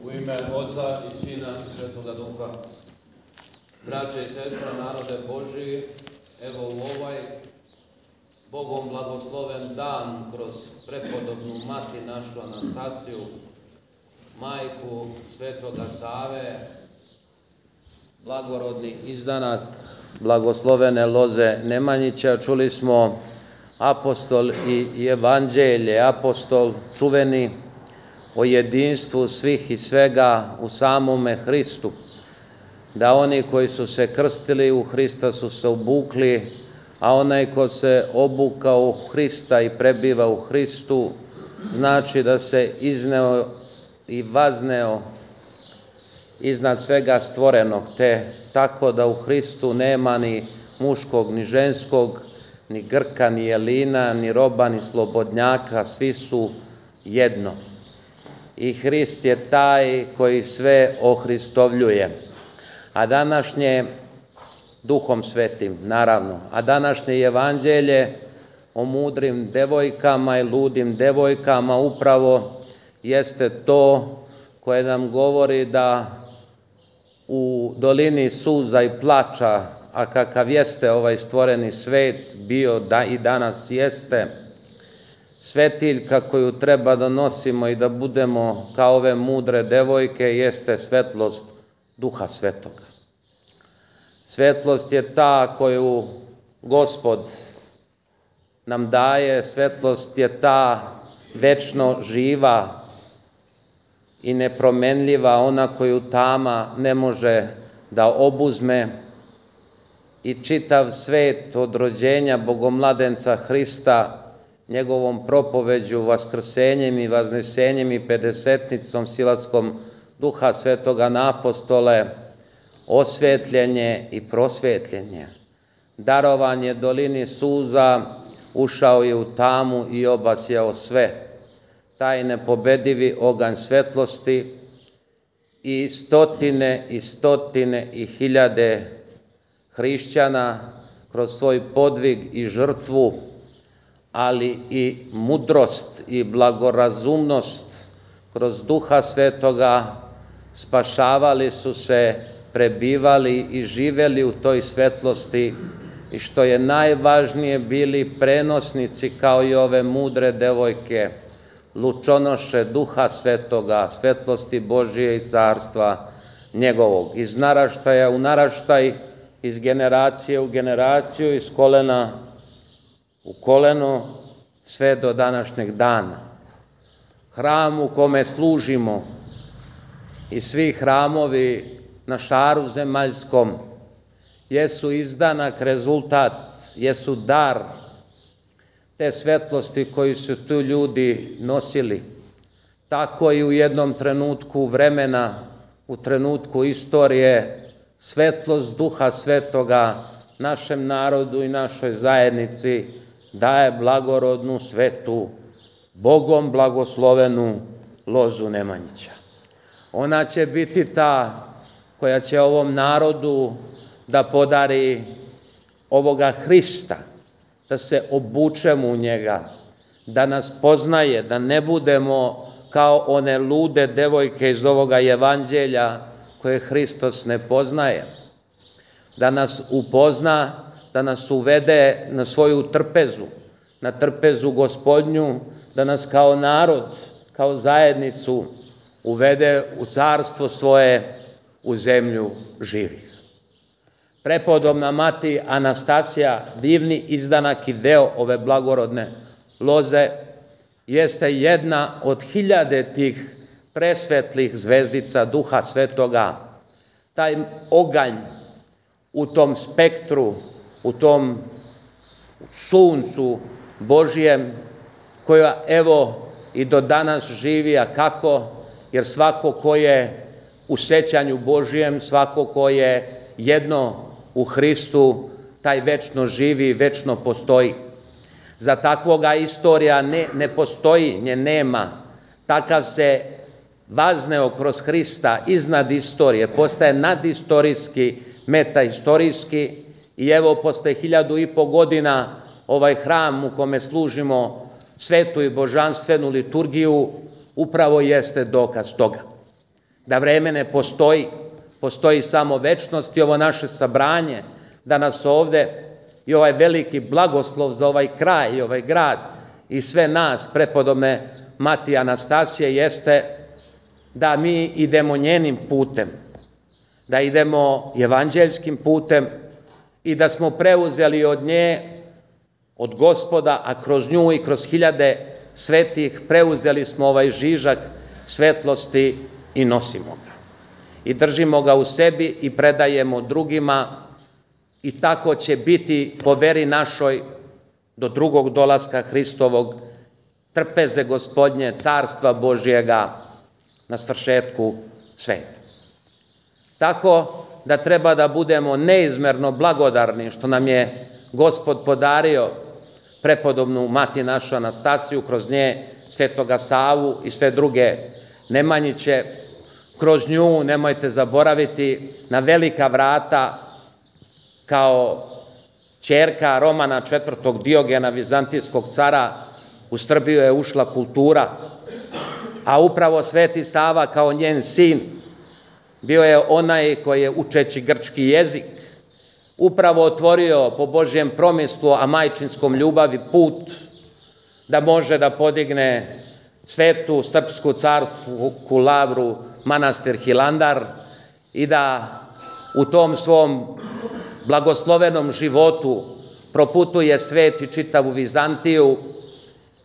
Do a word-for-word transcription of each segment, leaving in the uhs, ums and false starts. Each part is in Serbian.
U ime Oca i Sina i Svetoga Duha, braće i sestre, narode Božiji, evo u ovaj Bogom blagosloven dan kroz prepodobnu mati našu Anastasiju, majku Svetoga Save, blagorodni izdanak blagoslovene loze Nemanjića, čuli smo apostol i evanđelje, apostol čuveni o jedinstvu svih i svega u samome Hristu, da oni koji su se krstili u Hrista su se obukli, a onaj ko se obukao u Hrista i prebiva u Hristu, znači da se izneo i vazneo iznad svega stvorenog, te tako da u Hristu nema ni muškog, ni ženskog, ni Grka, ni Jelina, ni roba, ni slobodnjaka, svi su jedno. I Hrist je taj koji sve ohristovljuje. A današnje, Duhom Svetim, naravno, a današnje evanđelje o mudrim devojkama i ludim devojkama upravo jeste to koje nam govori da u dolini suza i plača, a kakav jeste ovaj stvoreni svet bio da i danas jeste, svetiljka koju treba da nosimo i da budemo kao ove mudre devojke jeste svetlost Duha Svetoga. Svetlost je ta koju Gospod nam daje, svetlost je ta večno živa i nepromenljiva, ona koju tama ne može da obuzme, i čitav svet od rođenja Bogomladenca Hrista, njegovom propoveđu, vaskrsenjem i vaznesenjem i pedesetnicom silaskom Duha Svetoga na apostole, osvetljenje i prosvetljenje. Darovanje dolini suza, ušao je u tamu i obasjao sve. Taj nepobedivi oganj svetlosti i stotine i stotine i hiljade hrišćana kroz svoj podvig i žrtvu, ali i mudrost i blagorazumnost kroz Duha Svetoga spašavali su se, prebivali i živeli u toj svetlosti i što je najvažnije bili prenosnici kao i ove mudre devojke, lučonoše Duha Svetoga, svetlosti Božije i carstva njegovog, iz naraštaja u naraštaj, iz generacije u generaciju, iz kolena u koleno, sve do današnjeg dana. Hram u kome služimo i svi hramovi na šaru zemaljskom jesu izdanak, rezultat, jesu dar te svetlosti koji su tu ljudi nosili. Tako i u jednom trenutku vremena, u trenutku istorije, svetlost Duha Svetoga našem narodu i našoj zajednici daje blagorodnu, svetu, Bogom blagoslovenu lozu Nemanjića. Ona će biti ta koja će ovom narodu da podari ovoga Hrista, da se obučemo u njega, da nas poznaje, da ne budemo kao one lude devojke iz ovoga evanđelja koje Hristos ne poznaje, da nas upozna, da nas uvede na svoju trpezu, na trpezu Gospodnju, da nas kao narod, kao zajednicu uvede u carstvo svoje, u zemlju živih. Prepodobna mati Anastasija, divni izdanak i deo ove blagorodne loze, jeste jedna od hiljade tih presvetlih zvezdica Duha Svetoga. Taj oganj u tom spektru, u tom suncu Božijem, koja evo i do danas živi, a kako? Jer svako ko je u sećanju Božijem, svako ko je jedno u Hristu, taj večno živi i večno postoji. Za takvoga istorija ne, ne postoji, nje nema. Takav se vazneo kroz Hrista iznad istorije, postaje nadistorijski, metahistorijski, i evo posle hiljadu i po godina ovaj hram u kome služimo svetu i božanstvenu liturgiju upravo jeste dokaz toga. da vreme ne postoji, postoji samo večnost i ovo naše sabranje danas ovde i ovaj veliki blagoslov za ovaj kraj i ovaj grad i sve nas, prepodobne Mati Anastasije, jeste da mi idemo njenim putem, da idemo evanđeljskim putem i da smo preuzeli od nje, od Gospoda, a kroz nju i kroz hiljade svetih preuzeli smo ovaj žižak svetlosti i nosimo ga. I držimo ga u sebi i predajemo drugima i tako će biti po veri našoj do drugog dolaska Hristovog, trpeze Gospodnje, carstva Božjega na svršetku sveta. Tako da treba da budemo neizmerno blagodarni što nam je Gospod podario prepodobnu Mati našu Anastasiju, kroz nje Svetoga Savu i sve druge Nemanjiće, kroz nju, nemojte zaboraviti, na velika vrata kao ćerka Romana četvrtog Diogena, vizantijskog cara, u Srbiju je ušla kultura, a upravo Sveti Sava kao njen sin bio je onaj koji je, učeći grčki jezik, upravo otvorio po Božjem promislu, a majčinskom ljubavi, put da može da podigne svetu srpsku carsku lavru manastir Hilandar i da u tom svom blagoslovenom životu proputuje svet i čitavu Vizantiju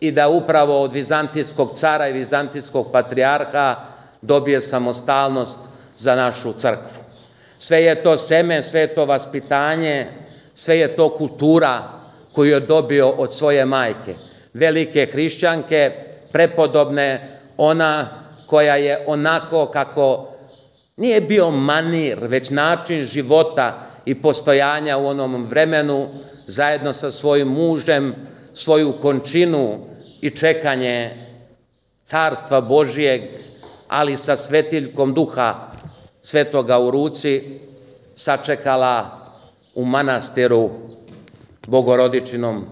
i da upravo od vizantijskog cara i vizantijskog patrijarha dobije samostalnost za našu crkvu. Sve je to seme, sve je to vaspitanje, sve je to kultura koju je dobio od svoje majke, velike hrišćanke, prepodobne, ona koja je onako kako nije bio manir, već način života i postojanja u onom vremenu, zajedno sa svojim mužem, svoju končinu i čekanje carstva Božijeg, ali sa svetiljkom duha svetoga u ruci, sačekala u manastiru Bogorodičinom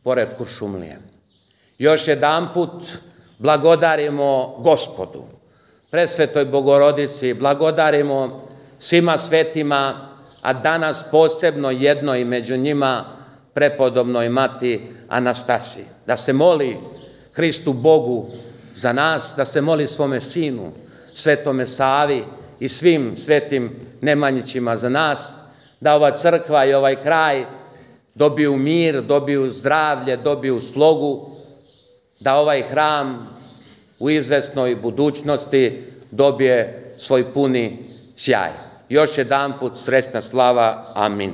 pored Kuršumlije. Još jedanput blagodarimo Gospodu, presvetoj Bogorodici, blagodarimo svima svetima, a danas posebno jednoj među njima, prepodobnoj Mati Anastasiji. Da se moli Hristu Bogu za nas, da se moli svome Sinu, Svetome Savi i svim svetim Nemanjićima za nas, da ova crkva i ovaj kraj dobiju mir, dobiju zdravlje, dobiju slogu, da ovaj hram u izvesnoj budućnosti dobije svoj puni sjaj. Još jedanput srećna slava. Amin.